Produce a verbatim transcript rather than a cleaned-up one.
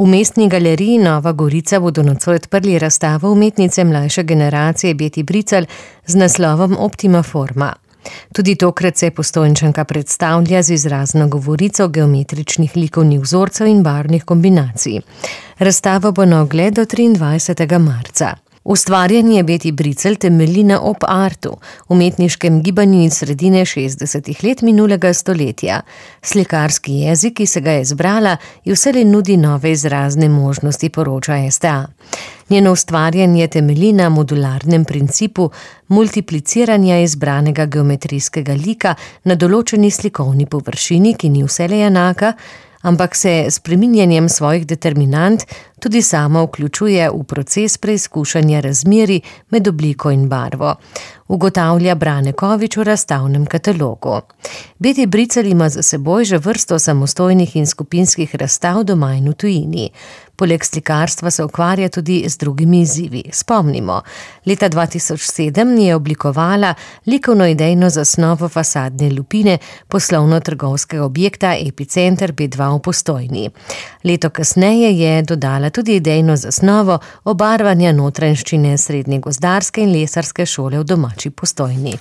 V Mestni galeriji Nova Gorica bodo nocoj odprli razstavo umetnice mlajše generacije Beti Bricelj z naslovom Optima forma. Tudi tokrat se Postojnčanka predstavlja z izrazno govorico geometričnih likovnih vzorcev in barvnih kombinacij. Razstava bo na ogled do triindvajsetega marca. Ustvarjanje Beti Bricelj temelji na op artu, umetniškem gibanju iz sredine šestdesetih let minulega stoletja. Slikarski jezik, ki se ga je izbrala, ji vselej nudi nove izrazne možnosti, poroča S T A. Njeno ustvarjanje temelji na modularnem principu multipliciranja izbranega geometrijskega lika na določeni slikovni površini, ki ni vselej enaka, ampak se s spreminjanjem svojih determinant tudi sama vključuje v proces preizkušanja razmerij med obliko in barvo, ugotavlja Brane Kovič v razstavnem katalogu. Beti Bricelj ima za seboj že vrsto samostojnih in skupinskih razstav doma in v tujini. Poleg slikarstva se ukvarja tudi z drugimi izzivi. Spomnimo, leta dva tisoč sedem je oblikovala likovno-idejno zasnovo fasadne lupine poslovno-trgovskega objekta Epicenter B dva v Postojni. Leto kasneje je dodala tudi idejno zasnovo obarvanja notranjščine Srednje gozdarske in lesarske šole v domači Postojni.